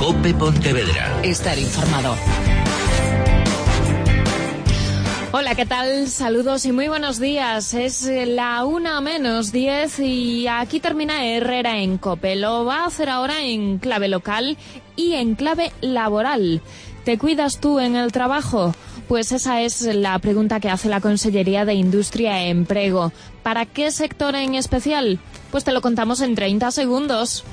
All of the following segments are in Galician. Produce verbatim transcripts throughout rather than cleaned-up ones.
COPE Pontevedra. Estar informado. Hola, ¿qué tal? Saludos y muy buenos días. Es la una menos diez y aquí termina Herrera en COPE. Lo va a hacer ahora en clave local y en clave laboral. ¿Te cuidas tú en el trabajo? Pues esa es la pregunta que hace la Consellería de Industria e Emprego. ¿Para qué sector en especial? Pues te lo contamos en treinta segundos.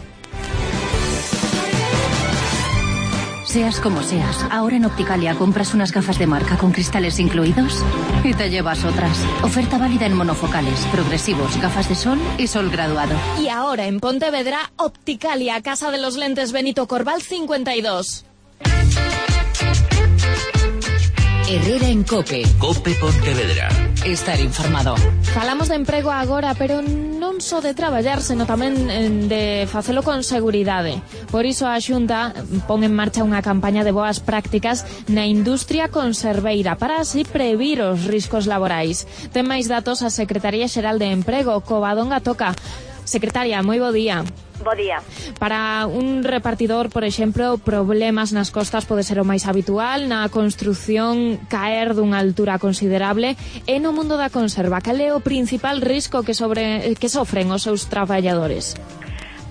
Seas como seas, ahora en Opticalia compras unas gafas de marca con cristales incluidos y te llevas otras. Oferta válida en monofocales, progresivos, gafas de sol y sol graduado. Y ahora en Pontevedra, Opticalia, Casa de los Lentes Benito Corval cincuenta y dos. Herrera en COPE. COPE Pontevedra. Estar informado. Falamos de emprego agora, pero non só de traballar, sino tamén de facelo con seguridade. Por iso a Xunta pon en marcha unha campaña de boas prácticas na industria conserveira para así previr os riscos laborais. Ten máis datos a Secretaría Xeral de Emprego, Covadonga Toca. Secretaria, moi bo día. Bo día. Para un repartidor, por exemplo, problemas nas costas pode ser o máis habitual, na construción caer dunha altura considerable, e no mundo da conserva, cal é o principal risco que sobre que sofren os seus traballadores?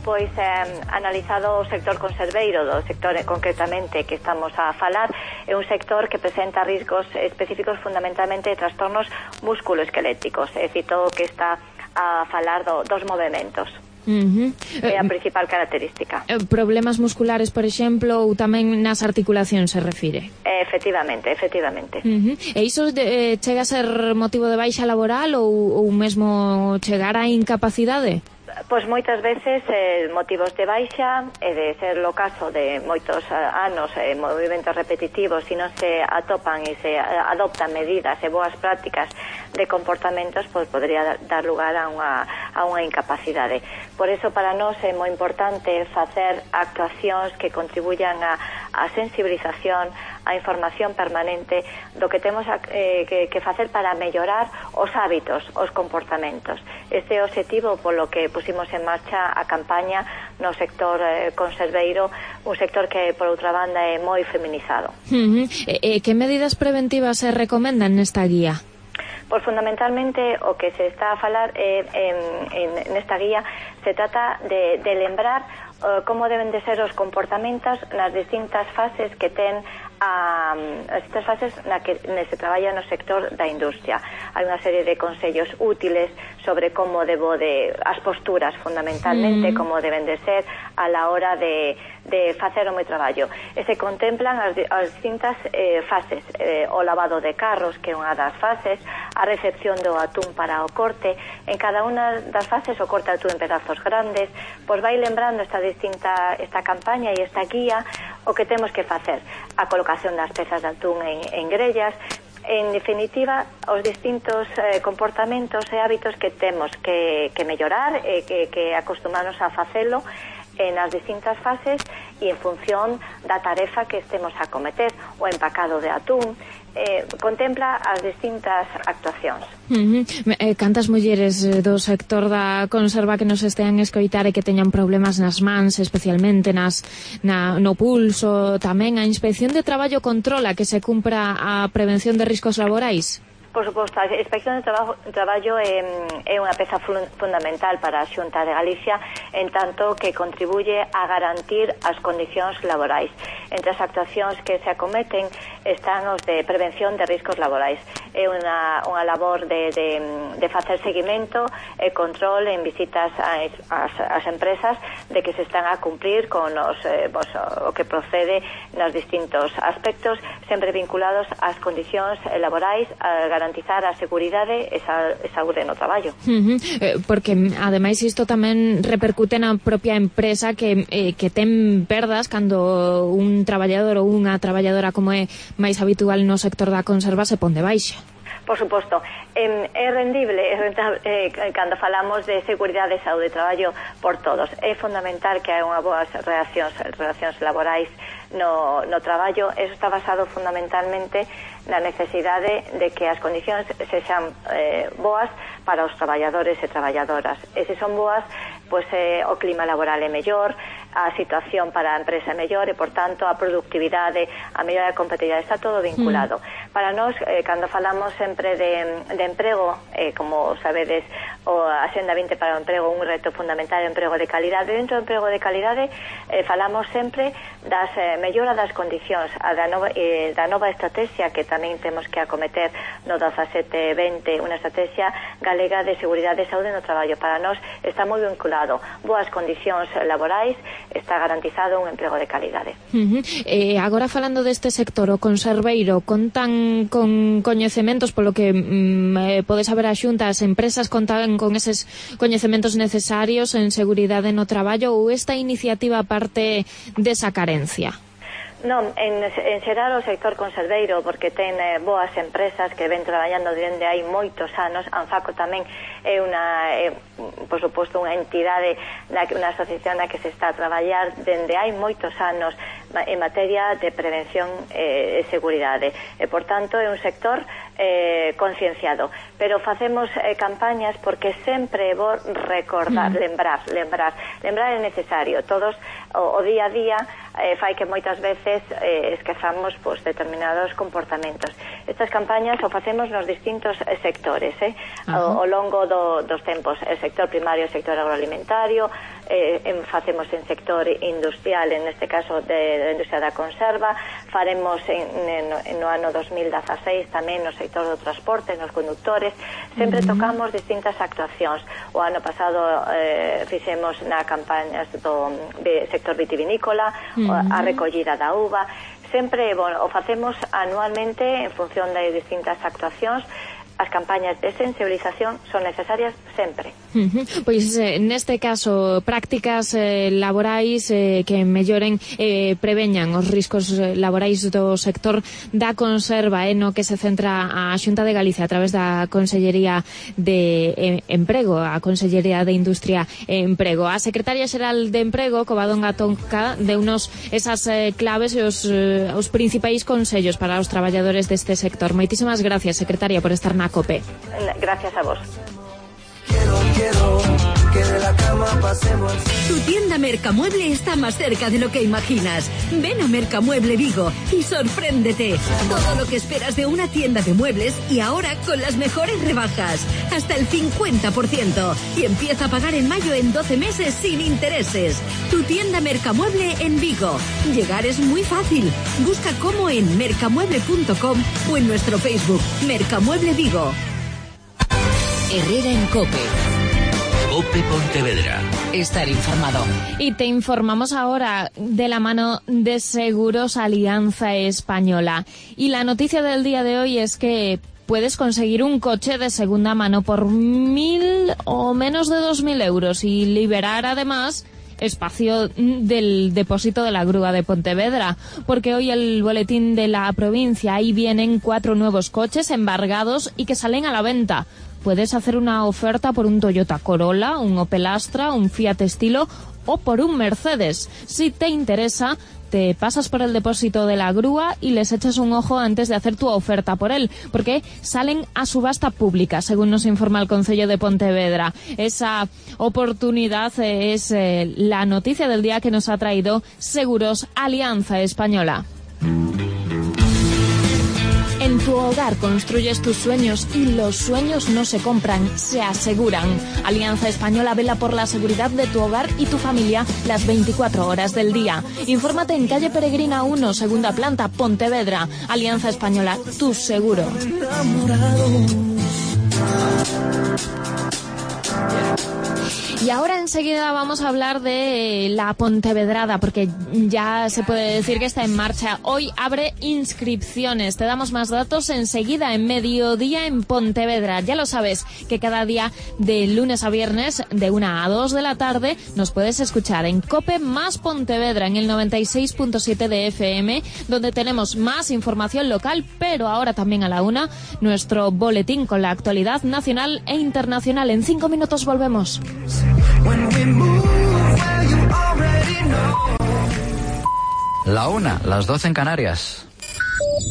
Pois, eh, analizado o sector conserveiro, do sector concretamente que estamos a falar, é un sector que presenta riscos específicos fundamentalmente de trastornos musculoesqueléticos, é dicir, todo o que está a falar do, dos movimentos. Uh-huh. É a principal característica. Problemas musculares, por exemplo, ou tamén nas articulacións se refire? Efectivamente, efectivamente. Uh-huh. E iso de, eh, chega a ser motivo de baixa laboral ou, ou mesmo chegar a incapacidade? Pois moitas veces eh, motivos de baixa e de ser o caso de moitos anos eh, movimentos repetitivos e non se atopan e se adoptan medidas e boas prácticas de comportamentos, pois podría dar lugar a unha, a unha incapacidade. Por eso para nós é moi importante facer actuacións que contribuyan a, a sensibilización, a información permanente do que temos a, eh, que, que facer para mellorar os hábitos, os comportamentos. Este é o objetivo polo que pusimos en marcha a campaña no sector eh, conserveiro, un sector que, por outra banda, é moi feminizado. Uh-huh. E, e que medidas preventivas se recomendan nesta guía? Pois fundamentalmente o que se está a falar eh, en, en, nesta guía se trata de, de lembrar uh, como deben de ser os comportamentos nas distintas fases que ten a, as distintas fases na que se traballa no sector da industria. Hai unha serie de consellos útiles sobre como debo de as posturas fundamentalmente, mm. como deben de ser a la hora de, de facer o meu traballo. E se contemplan as, as distintas eh, fases, eh, o lavado de carros, que é unha das fases, a recepción do atún para o corte. En cada unha das fases o corte atún en pedazos grandes, pois vai lembrando esta distinta esta campaña e esta guía o que temos que facer, a colocación das pezas de atún en, en grellas. En definitiva, os distintos eh, comportamentos e hábitos que temos que, que mellorar e eh, que, que acostumarnos a facelo en as distintas fases e en función da tarefa que estemos a cometer. O empacado de atún eh, contempla as distintas actuacións. Uh-huh. Eh, cantas mulleres do sector da conserva que nos estean a escoitar e que teñan problemas nas mans, especialmente nas, na, no pulso, tamén a Inspección de Traballo controla que se cumpra a prevención de riscos laborais? Por suposto, a Inspección de Traballo, traballo é, é unha peza fundamental para a Xunta de Galicia, en tanto que contribuye a garantir as condicións laborais. Entre as actuacións que se acometen están os de prevención de riscos laborais. É unha, unha labor de, de, de facer seguimento e control en visitas ás, ás, ás empresas de que se están a cumplir con os, eh, pues, o que procede nos distintos aspectos, sempre vinculados ás condicións laborais, a garantizar a seguridade e a saúde no traballo. Uh-huh. Eh, porque, ademais, isto tamén repercute na propia empresa que, eh, que ten perdas cando un traballador ou unha traballadora, como é máis habitual no sector da conserva, se pon de baixa. Por suposto, eh, é rendible, é rentable, eh, cando falamos de seguridade e saúde de traballo por todos. É fundamental que hai unha boas relacións, relacións laborais no, no traballo. Eso está basado fundamentalmente na necesidade de que as condicións sexan eh, boas para os traballadores e traballadoras. E se son boas, pois eh, o clima laboral é mellor, a situación para a empresa é mellor e, por tanto, a productividade, a mellora da competitividade, está todo vinculado. Mm. Para nós, eh, cando falamos sempre de, de emprego, eh, como sabedes, o a Axenda vinte para o emprego, un reto fundamental é o emprego de calidade. Dentro do emprego de calidade, eh, falamos sempre das eh, mellora das condicións, a da nova, eh, da nova estrategia que tamén temos que acometer no dezasete vinte, unha estrategia galega de seguridade e saúde no traballo. Para nós está moi vinculado boas condicións laborais, está garantizado un emprego de calidade. Uh-huh. Eh, agora falando deste sector, o conserveiro, contan con coñecementos, polo que mm, eh, pode saber a Xunta, as empresas contan con eses coñecementos necesarios en seguridade no traballo, ou esta iniciativa parte desa carencia? Non, en, en xeral o sector conserveiro, porque ten eh, boas empresas que ven traballando dende hai moitos anos. Anfaco tamén é unha, é, por suposto, unha entidade, na, unha asociación na que se está a traballar dende hai moitos anos en materia de prevención e eh, seguridade. E, por tanto, é un sector eh, concienciado. Pero facemos eh, campañas porque sempre é bo recordar, mm. lembrar, lembrar. Lembrar é necesario. Todos, o, o día a día, eh, fai que moitas veces eh, esquezamos pues, determinados comportamentos. Estas campañas o facemos nos distintos eh, sectores, eh, ao, ao longo do, dos tempos. El sector primario, el sector agroalimentario, eh, en, facemos en sector industrial, en este caso de, de industria da conserva, faremos en, en, no ano dos mil dezaseis tamén no sector do transporte, nos conductores. Sempre uh-huh. tocamos distintas actuacións. O ano pasado eh, fixemos na campaña do de sector vitivinícola, uh-huh. a recollida da uva. Sempre, bueno, o facemos anualmente en función de distintas actuacións. As campañas de sensibilización son necesarias sempre. Uh-huh. Pois eh, neste caso, prácticas eh, laborais eh, que melloren, eh, preveñan os riscos laborais do sector da conserva, eh, no que se centra a Xunta de Galicia a través da Consellería de eh, Emprego, a Consellería de Industria e Emprego. A Secretaria Xeral de Emprego, Covadonga Tonca, deunos esas eh, claves e os, eh, os principais consellos para os traballadores deste sector. Moitísimas gracias, Secretaria, por estar na COPE. Gracias a vos. Quiero, quiero que de la cama pasemos. Tu tienda Mercamueble está más cerca de lo que imaginas. Ven a Mercamueble Vigo y sorpréndete. Todo lo que esperas de una tienda de muebles y ahora con las mejores rebajas. Hasta el cincuenta por ciento. Y empieza a pagar en mayo en doce meses sin intereses. Tu tienda Mercamueble en Vigo. Llegar es muy fácil. Busca cómo en mercamueble punto com o en nuestro Facebook Mercamueble Vigo. Herrera en COPE. COPE Pontevedra. Estar informado. Y te informamos ahora de la mano de Seguros Alianza Española. Y la noticia del día de hoy es que puedes conseguir un coche de segunda mano por mil o menos de dos mil euros y liberar además espacio del depósito de la grúa de Pontevedra, porque hoy el boletín de la provincia, ahí vienen cuatro nuevos coches embargados y que salen a la venta. Puedes hacer una oferta por un Toyota Corolla, un Opel Astra, un Fiat Estilo o por un Mercedes. Si te interesa, te pasas por el depósito de la grúa y les echas un ojo antes de hacer tu oferta por él, porque salen a subasta pública, según nos informa el Concello de Pontevedra. Esa oportunidad es eh, la noticia del día que nos ha traído Seguros Alianza Española. En tu hogar construyes tus sueños y los sueños no se compran, se aseguran. Alianza Española vela por la seguridad de tu hogar y tu familia las veinticuatro horas del día. Infórmate en calle Peregrina uno, segunda planta, Pontevedra. Alianza Española, tu seguro. Y ahora enseguida vamos a hablar de la Pontevedrada, porque ya se puede decir que está en marcha. Hoy abre inscripciones. Te damos más datos enseguida en Mediodía en Pontevedra. Ya lo sabes, que cada día de lunes a viernes de una a dos de la tarde nos puedes escuchar en COPE más Pontevedra en el noventa y seis punto siete de F M, donde tenemos más información local, pero ahora también a la una nuestro boletín con la actualidad nacional e internacional. En cinco minutos volvemos. La una, las doce en Canarias.